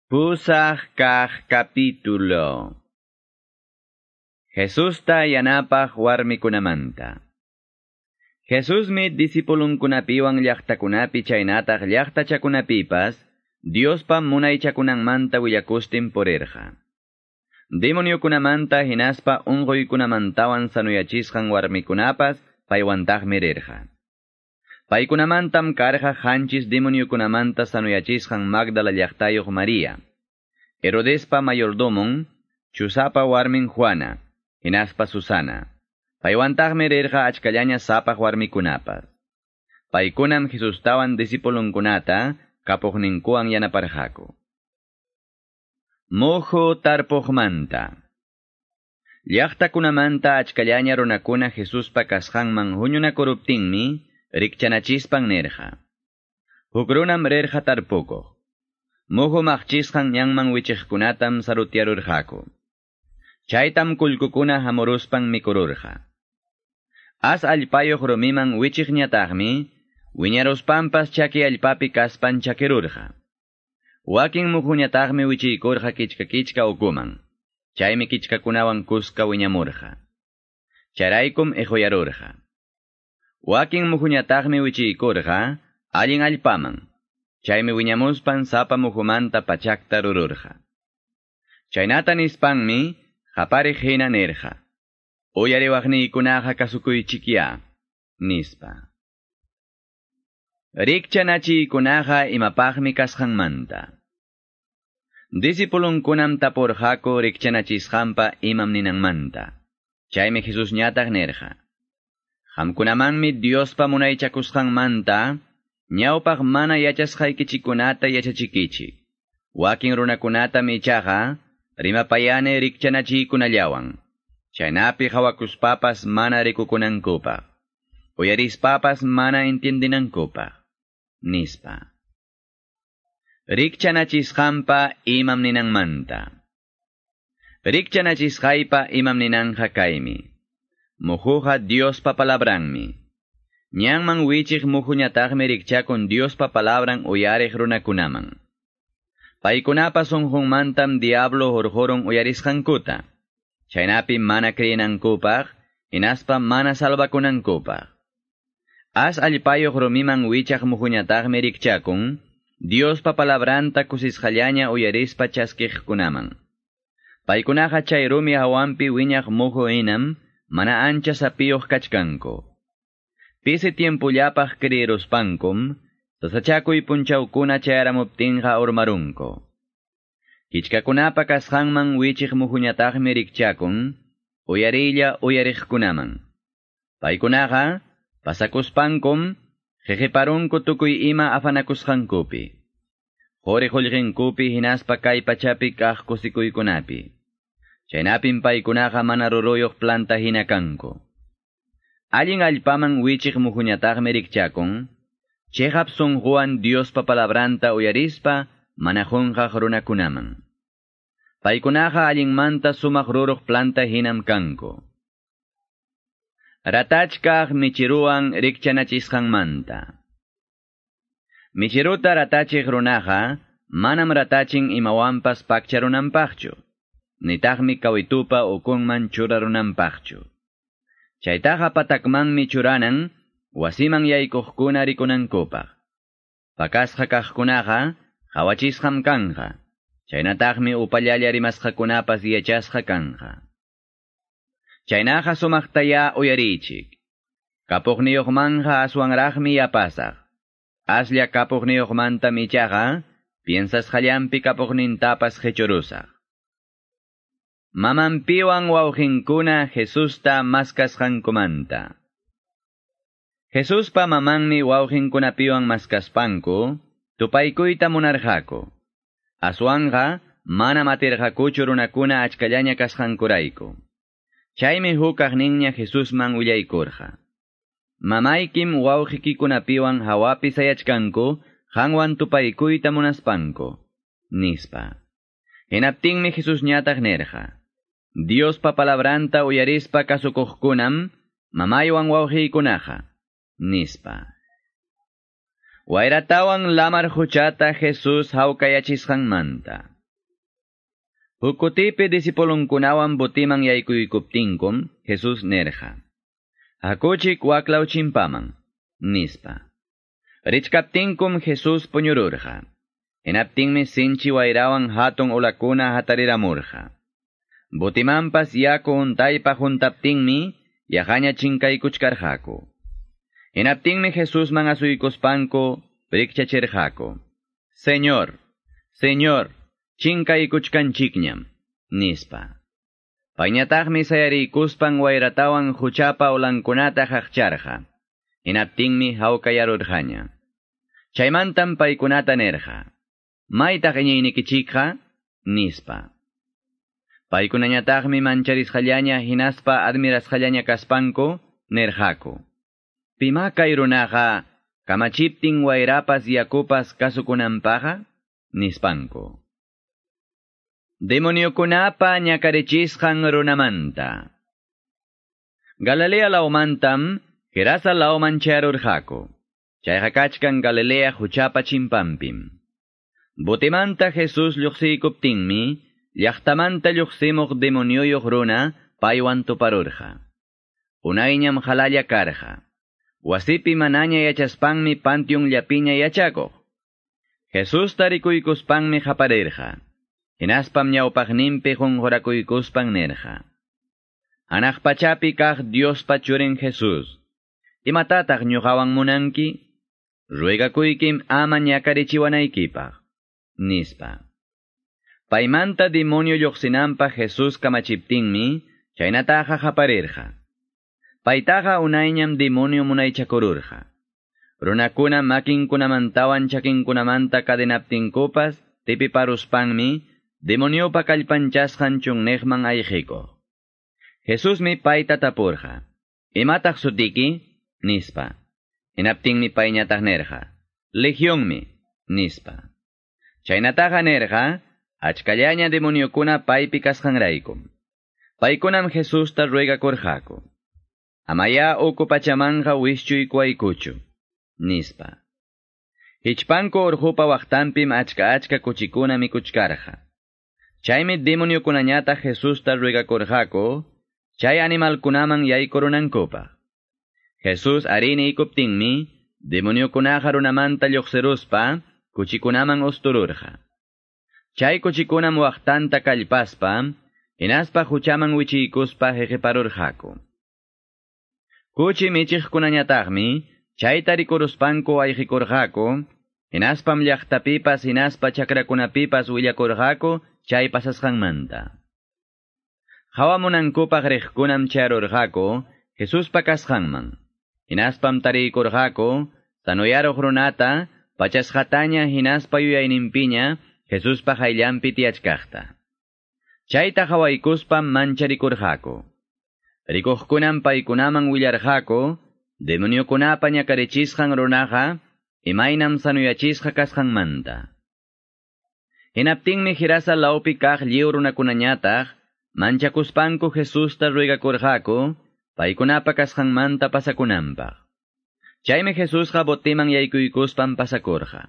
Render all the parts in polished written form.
Pusaq kaq capítulo. Jesusta yanapaq warmikunamanta. Jesusmi discipulunkunapiwan llaqtakunapi chaynataq llaqtachakunapipas Diospa munaychakunanmanta willakustin purirqa. Demoniokunamanta hinaspa unquykunamantawan sanuyachisqan warmikunapas paywantaqmi rirqa. Paykunamantam karqa qanchis demoniokunamanta sanuyachisqan Magdala llaqtayuq María, Herodespa mayordomon, Chusapa warmin Juana, hinaspa Susana. Paywantaqmi rirqa achkallaña sapaq warmikunapas. Paykunam Jesustawan discipulunkunata kapuqninkuwan yanaparqaku. Muhu tarpuqmanta. Llaqtakunamanta achkallaña runakuna Jesuspa kasqanman huñunakuruptinmi rikchanachispan nirqa. Huk runam rirqa tarpukuq. Muhu maqchisqan ñanman wichiqkunatam sarutyarurqaku. Chaytam kullkukuna hamuruspan mikururqa. As allpayuq rumiman wichiqñataqmi, wiñaruspanpas chaki allpapi kaspan chakirurqa. Wakin muhuñataqmi wichiykurqa kichka kichka ukuman. Chaymi kichkakunawan kuska wiñamurqa. Charaykum iquyarurqa. Wakin muhuñataqmi wichiykurqa allin allpaman. Chaymi wiñamuspan sapa muhumanta pachakta rururqa. Chaynata nispanmi qapariq hina nirqa. Uyariwaqniykunaqa kasukuychikya, nispa. Rikchanachiykunaqa imapaqmi kasqanmanta. Discipulunkunam tapurqaku rikchanachisqanpa imam ninanmanta. Chaymi Jesusñataq nirqa. Qamkunamanmi Diospa munaychakusqanmanta ñawpaq mana yachasqaykichikkunata yachachikichik. Wakin runakunatam ichaqa rimapayani rikchanachiykunallawan. Chaynapi hawakuspapas mana rikukunankupaq. Uyarispapas mana entiendinankupaq. Nispa. Rikchanachisqanpa imam ninanmanta. Rikchanachisqaypa imam ninanja kaymi. Muhuqa Diospa palabranmi. Ñanman wichiq muhuñataqmi rikchakun Diospa palabran uyariq runakunaman. Paykunapa sunqunmantam diablo hurqurun uyarisqankuta. Chaynapi mana creenankupaq, hinaspa mana salvakunankupaq. As allpayuq rumiman wichaq muhuñataqmi rikchakun, Diospa palabranta kusisqallaña uyarispa chaskiqkunaman. Paykunaqa chay rumi hawanpi wiñaq muhu hinam, mana ancha sapiyuq kachkanku. Pisi tiempullapaq creeruspankum, sasachakuy punchawkuna chayaramuptinqa urmarunku. Kichkakunapa kasqanman wichiq muhuñataqmi rikchakun, uyariylla uyariqkunaman. Paykunaqa pasakuspankum, qhiqiparunku tukuy ima afanakusqankupi. Quri qullqinkupi hinaspa kay pachapi kaq kusikuykunapi. Chaynapim paykunaqa mana ruruyuq planta hina kanku. Allin allpaman wichiq muhuñataqmi rikchakun, chiqap sunquwan Diospa palabranta uyarispa mana qunqaq runakunaman. Paykunaqa allinmanta sumaq ruruq planta hinam kanku. Ratachkaq michiruwan rikchanachisqanmanta. Michiruta ratachiq runaqa manam ratachin imawanpas pakcharunanpaqchu, nitaqmi kawitupa ukunman churarunanpaqchu. Chaytaqa patakmanmi churanan, wasiman yaykuqkuna rikunankupaq. Pakasqa kaqkunaqa qhawachisqam kanqa, chaynataqmi upallalla rimasqakunapas yachasqa kanqa. Chaynaqa sumaqtaya uyariychik. Kapuqniyuqmanja aswanraqmi yapasaq. Aslla kapuqniyuqmantam ichaqa piensasqallanpi kapuqnintapas qhichurusaq. Mamanpiwan wawqinkuna Jesusta maskasqankumanta. Jesuspa mamanmi wawqinkunapiwan maskaspanku tupaykuyta munarqaku. Aswanqa manam atirqakuchu runakuna achkallaña kasqankurayku. Chaymi hukaqninña Jesusman willaykurqa. Mamaykim wawqikikunapiwan hawapi sayachkanku, qanwan tupaykuyta munaspanku, nispa. Hinaptinmi Jesusñataq nirqa. Diospa palabranta uyarispa kasukuqkunam, mamaywan wawqiykunaqa, nispa. Wayratawan lamar huchata Jesús hawkayachisqanmanta. Huk kutipi disipulunkunawan botiman yaykuykuptinkum Jesus nerqa: "Hakuchik waklaw chimpaman", nispa. Richkaptinkum Jesus puñururqa. Hinaptinmi sinchi wayrawan hatun ulakuna hatariramurqa. Botimanpas yaku huntaypa huntaptinmi yaqaña chinkaykuchkarqaku. Hinaptinmi Jesusman asuykuspanku rikchachirqaku: "Señor, Señor, chinkaykuchkanchikñam", nispa. Payñataqmi sayariykuspan wayratawan huchapa ulankunata qaqcharqa. Hinaptinmi hawkayarurqaña. Chaymantam paykunata nirqa: "Maytaq iñiynikichikqa?" nispa. Paykunañataqmi mancharisqallaña hinaspa admirasqallaña kaspanku nirqaku: "Pima kay runaqa kamachiptin wayrapas yakupas kasukunanpaqqa?" nispanku. Demoniokunapa ñakarichisqan runamanta. Galilea lawmantam Gerasa lawman chayarurqaku. Chayqa kachkan Galilea huchapa chimpanpim. Botimanta Jesus lluqsiykuptinmi, llaqtamanta lluqsimuq demonioyuq runa paywan tuparurqa. Unayñam qalalla karqa. Wasipi manaña yachaspanmi panteon llapiña yachakuq. Jesusta rikuykuspanmi qaparirqa. Hinaspam ñawpaqninpi qunqurakuykuspan nirqa: "Hanaq pachapi kaq Diospa churin Jesus, imatataq ñuqawan munanki? Ruegakuykim ama ñakarichiwanaykipaq", nispa. Paymanta demonio lluqsinanpaq Jesus kamachiptinmi, chaynataqa qaparirqa. Paytaqa unayñam demonio munaychakururqa. Runakuna makinkunamantawan chakinkunamanta cadenaptinkupas tipiparuspanmi demoniopa kallpanchasqan chunniqman ayqikuq. Jesusmi payta tapurqa: "Imataq sutiki?" nispa. Hinaptinmi payñataq nirqa: "Legionmi", nispa. Chaynataqa nirqa achkallaña demoniokuna paypi kasqanraykum. Paykunam Jesusta ruegakurqaku: "Amaya uku pachamanqa wischuykuwaykuchu", nispa. Hichpanku urqupa waqtanpim achka achka kuchikuna mikuchkarqa. Chaymi demoniokunañataq Jesusta ruegakurqaku chay animalkunaman yaykurunankupaq. Jesus arí niykuptinmi demoniokunaqa runamanta lluqsiruspa kuchikunaman ustururqa. Chay kuchikunam waqtanta kallpaspa hinaspa huchaman wichiykuspa hiqiparurqaku. Kuchi michiqkunañataqmi chayta rikuruspanku ayqikurqaku, hinaspam llaqtapipas hinaspa chakrakunapipas willakurqaku chay pasasqanmanta. Hawamunankupaq riqkunam chayarurqaku Jesuspa kasqanman. Hinaspam tariykurqaku sanoyaruq runata pachasqataña hinaspa yuyayninpiña Jesuspa qayllanpi tiyachkaqta. Chayta hawaykuspam mancharikurqaku. Rikuqkunam paykunaman willarqaku demoniokunapa ñakarichisqan runaqa imaynam sanuyachisqa kasqanmanta. Hinaptinmi Gerasa lawpi kaq lliw runakunañataq manchakuspanku Jesusta ruegakurqaku paykunapa kasqanmanta pasakunanpaq. Chaymi Jesusqa botiman yaykuykuspan pasakurqa.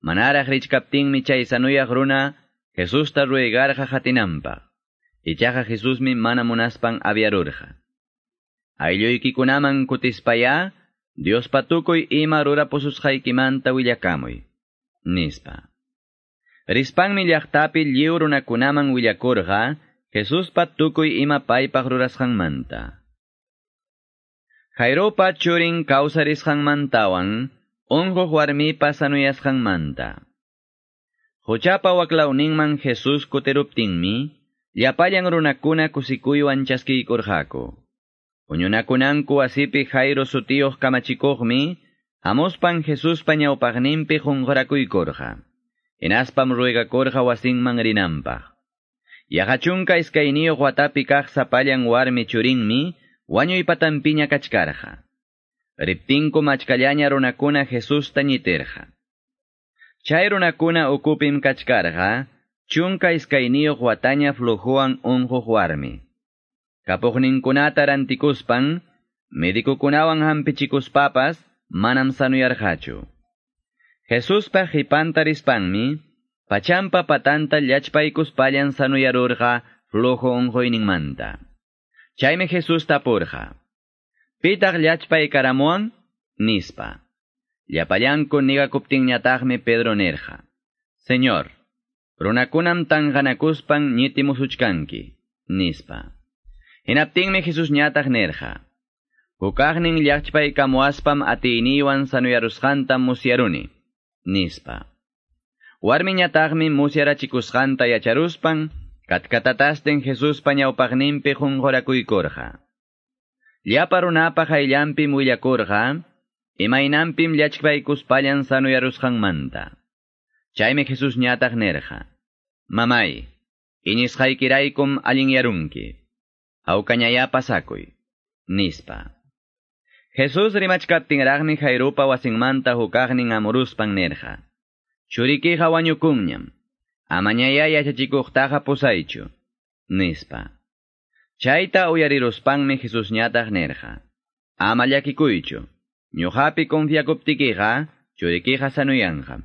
Manaraq richkaptinmi chay sanuyaq runa Jesusta ruegarqa qatinanpaq. Ichaqa Jesusmi mana munaspan aviarurqa. "Aylluykikunaman kutispayá, Diospa tukuy ima rurapususqaykimanta willakamuy", nispa. Rispanmi llaqtapi lliw runakunaman willakurqa Jesuspa tukuy ima paypaq rurasqanmanta. Jairopa churin kawsarisqanmantawan unquq warmipa sanuyasqanmanta. Huchapa waklawninman Jesus kutiruptinmi, llapallan runakuna kusikuywan chaskiykurqaku. Huñunakunanku wasipi Jairo sutiyuq kamachikuqmi hamuspan Jesuspa ñawpaqninpi qunqurakuykurqa. Hinaspam ruegakurqa wasinman rinanpaq. Yaqa 12 watapi kaq sapallan warmi churinmi wañuy patanpiña kachkarqa. Riptinkum achkallaña runakuna Jesusta ñitirqa. Chay runakuna ukupim kachkarqa 12 wataña flujowan unquq warmi. Kapuqninkunata rantikuspan, medikukunawan hampichikuspapas manam sanuyarqachu. Jesuspa qipanta rispanmi, Pachampa patanta llachpaykuspallan sanuyarurqa flujo unquyninmanta. Chaymi Jesús tapurqa: "Pitaq llachpaykaramuwan?" nispa. Llapallanku nigakuptinñataqmi Pedro nirqa: "Señor, runakunam tanqanakuspan ñitimusuchkanki", nispa. Hinaptinmi Jesús ñataq nirqa: "Hukaqnin llachpaykamuwaspam atiyniywan sanuyarusqanta musyaruni", nispa. Warmiñataqmi musyarachikusqanta yacharuspan katkatatasten Jesuspa ñawpaqninpi qunqurakuykurqa. Llapa runapa qayllanpim willakurqa, imaynanpim llachpaykuspallan sanuyarusqanmanta. Chaymi Jesús ñataq nirqa: "Mamay, iñisqaykiraykum allinyarunki. Hawkañayá pasakuy", nispa. Jesús rimachkaptinraqmi Jairupa wasinmanta hukaqnin amuruspan nirqa: "Churikiqa wañukunñam. Amañayá yachachikuqtaqa pusaychu", nispa. Chayta uyariruspanmi Jesús ñataq nirqa: "Ama llakikuychu. Ñuqapi confiakuptikiqa churikiqa sanuyanqam",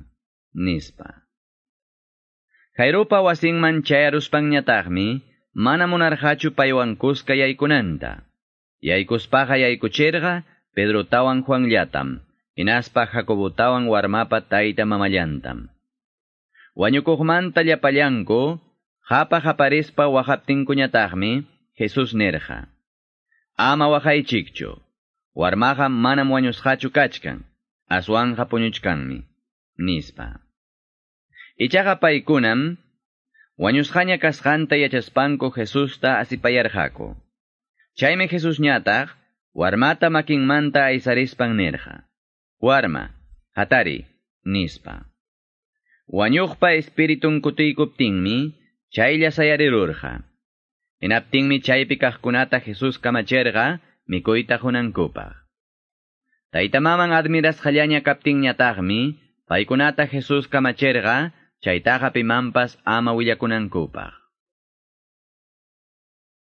nispa. Jairupa wasinman chayaruspanñataqmi mana munarqachu paywan kuska yaykunanta. Yaykuspaqa yaykuchirqa Pedrotawan Juanllatam, hinaspa Jacobotawan warmapa tayta mamallantam. Wañukuqmanta llapallanku, qapa qaparispa waqaptinkuñataqmi Jesús nirqa: "Ama waqaychikchu, warmaqa manam wañusqachu kachkan, aswanqa puñuchkanmi", nispa. Ichaqa paykunam wañusqaña kasqanta yachaspanku Jesusta asipayarqaku. Chaymi Jesús ñataq warmata makinmanta aysarispan nirqa: "Warma, hatari", nispa. Wañuqpa espiritun kutiykuptinmi chaylla sayarirurqa. Hinaptinmi chaypi kaqkunata Jesús kamachirqa mikuyta qunankupaq. Tayta maman admirasqallaña kaptinñataqmi paykunata Jesús kamachirqa chaytaqa pimanpas ama willakunankupaq.